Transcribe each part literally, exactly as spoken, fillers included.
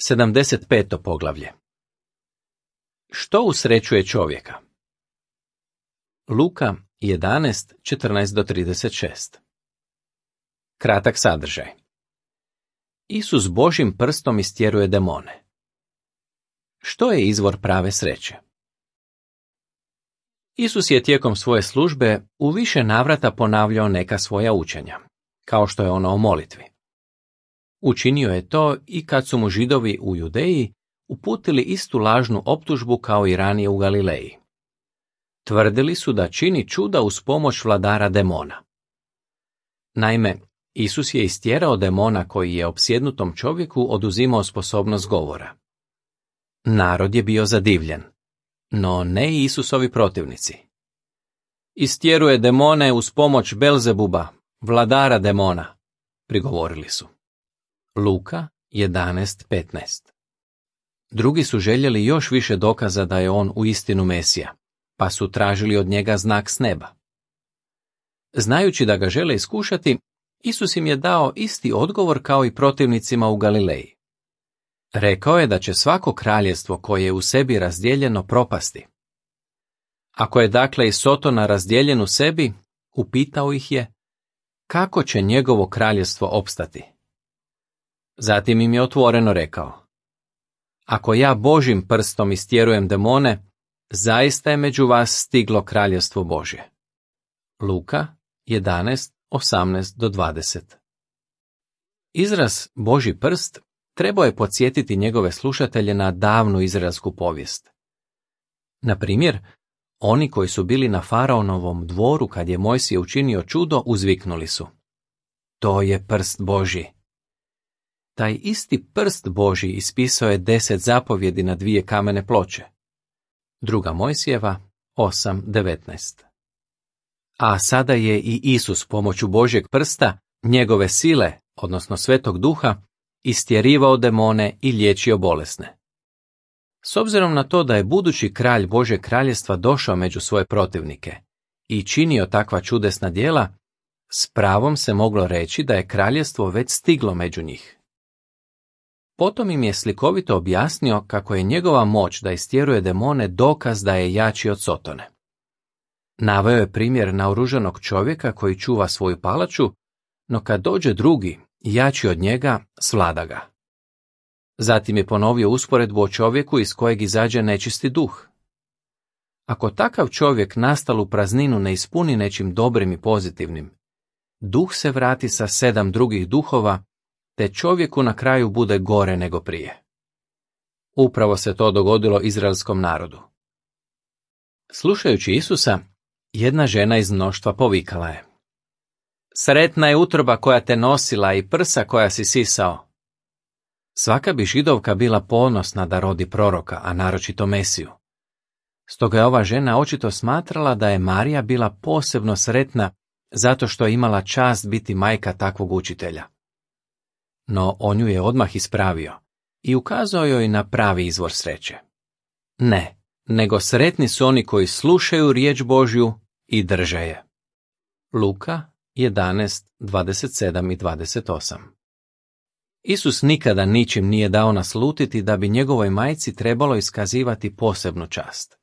sedamdeset peto poglavlje. Što usrećuje čovjeka? Luka jedanaest, četrnaest do trideset šest. Kratak sadržaj. Isus Božjim prstom istjeruje demone. Što je izvor prave sreće? Isus je tijekom svoje službe u više navrata ponavljao neka svoja učenja, kao što je ono o molitvi. Učinio je to i kad su mu Židovi u Judeji uputili istu lažnu optužbu kao i ranije u Galileji. Tvrdili su da čini čuda uz pomoć vladara demona. Naime, Isus je istjerao demona koji je opsjednutom čovjeku oduzimao sposobnost govora. Narod je bio zadivljen, no ne i Isusovi protivnici. Istjeruje demone uz pomoć Belzebuba, vladara demona, prigovorili su. Luka jedanaest, petnaest. Drugi su željeli još više dokaza da je on uistinu Mesija, pa su tražili od njega znak s neba. Znajući da ga žele iskušati, Isus im je dao isti odgovor kao i protivnicima u Galileji. Rekao je da će svako kraljevstvo koje je u sebi razdijeljeno propasti. Ako je dakle i Sotona razdijeljen u sebi, upitao ih je, kako će njegovo kraljevstvo opstati? Zatim im je otvoreno rekao, ako ja Božjim prstom istjerujem demone, zaista je među vas stiglo kraljevstvo Božje. Luka jedanaest, osamnaest do dvadeset. Izraz Božji prst trebao je podsjetiti njegove slušatelje na davnu izraelsku povijest. Na primjer, oni koji su bili na faraonovom dvoru kad je Mojsije učinio čudo, uzviknuli su, to je prst Božji. Taj isti prst Božji ispisao je deset zapovjedi na dvije kamene ploče. Druga Mojsijeva osam, devetnaest. A sada je i Isus pomoću Božjeg prsta, njegove sile, odnosno Svetog Duha, istjerivao demone i liječio bolesne. S obzirom na to da je budući kralj Božjeg kraljevstva došao među svoje protivnike i činio takva čudesna djela, s pravom se moglo reći da je kraljevstvo već stiglo među njih. Potom im je slikovito objasnio kako je njegova moć da istjeruje demone dokaz da je jači od Sotone. Naveo je primjer naoružanog čovjeka koji čuva svoju palaču, no kad dođe drugi, jači od njega, svlada ga. Zatim je ponovio usporedbu o čovjeku iz kojeg izađe nečisti duh. Ako takav čovjek nastalu prazninu ne ispuni nečim dobrim i pozitivnim, duh se vrati sa sedam drugih duhova, te čovjeku na kraju bude gore nego prije. Upravo se to dogodilo izraelskom narodu. Slušajući Isusa, jedna žena iz mnoštva povikala je, sretna je utroba koja te nosila i prsa koja si sisao. Svaka bi Židovka bila ponosna da rodi proroka, a naročito Mesiju. Stoga je ova žena očito smatrala da je Marija bila posebno sretna zato što je imala čast biti majka takvog učitelja. No on ju je odmah ispravio i ukazao joj na pravi izvor sreće. Ne, nego sretni su oni koji slušaju riječ Božju i drže je. Luka jedanaest, dvadeset sedam i dvadeset osam. Isus nikada ničim nije dao naslutiti da bi njegovoj majci trebalo iskazivati posebnu čast.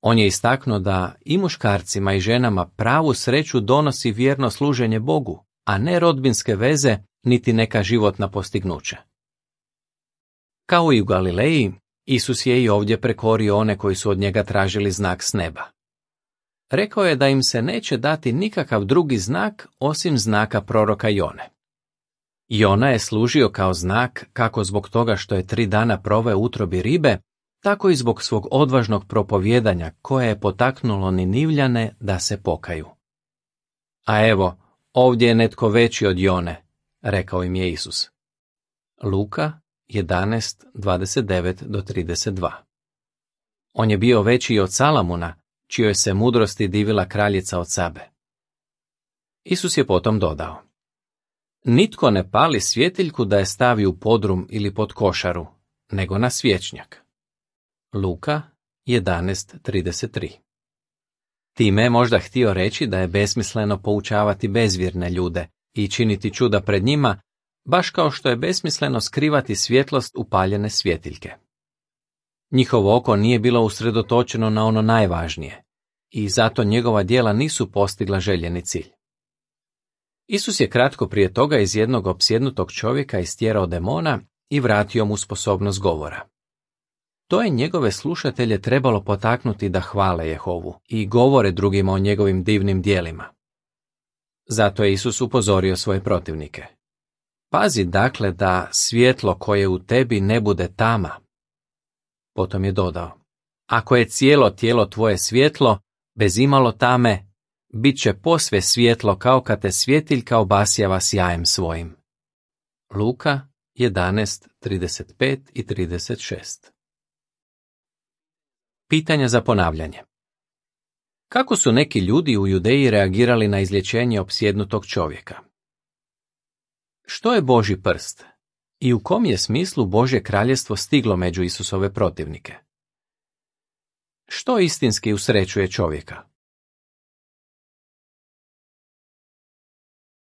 On je istaknuo da i muškarcima i ženama pravu sreću donosi vjerno služenje Bogu, a ne rodbinske veze niti neka životna postignuća. Kao i u Galileji, Isus je i ovdje prekorio one koji su od njega tražili znak s neba. Rekao je da im se neće dati nikakav drugi znak osim znaka proroka Jone. Jona je služio kao znak kako zbog toga što je tri dana proveo u utrobi ribe, tako i zbog svog odvažnog propovijedanja koje je potaknulo Ninivljane da se pokaju. A evo, ovdje je netko veći od Jone, rekao im je Isus. Luka jedanaest, dvadeset devet do trideset dva. On je bio veći i od Salamuna, čijoj se mudrosti divila kraljica od Sabe. Isus je potom dodao, nitko ne pali svjetiljku da je stavi u podrum ili pod košaru, nego na svječnjak. Luka jedanaest, trideset tri. Time je možda htio reći da je besmisleno poučavati bezvjerne ljude i činiti čuda pred njima, baš kao što je besmisleno skrivati svjetlost upaljene svjetiljke. Njihovo oko nije bilo usredotočeno na ono najvažnije i zato njegova djela nisu postigla željeni cilj. Isus je kratko prije toga iz jednog opsjednutog čovjeka istjerao demona i vratio mu sposobnost govora. To je njegove slušatelje trebalo potaknuti da hvale Jehovu i govore drugima o njegovim divnim djelima. Zato je Isus upozorio svoje protivnike. Pazi dakle da svjetlo koje u tebi ne bude tama. Potom je dodao, ako je cijelo tijelo tvoje svjetlo, bez imalo tame, bit će posve svjetlo kao kad te svjetiljka obasjava sjajem svojim. Luka jedanaest, trideset pet i trideset šest. Pitanja za ponavljanje. Kako su neki ljudi u Judeji reagirali na izlječenje opsjednutog čovjeka? Što je Božji prst? I u kom je smislu Božje kraljestvo stiglo među Isusove protivnike? Što istinski usrećuje čovjeka?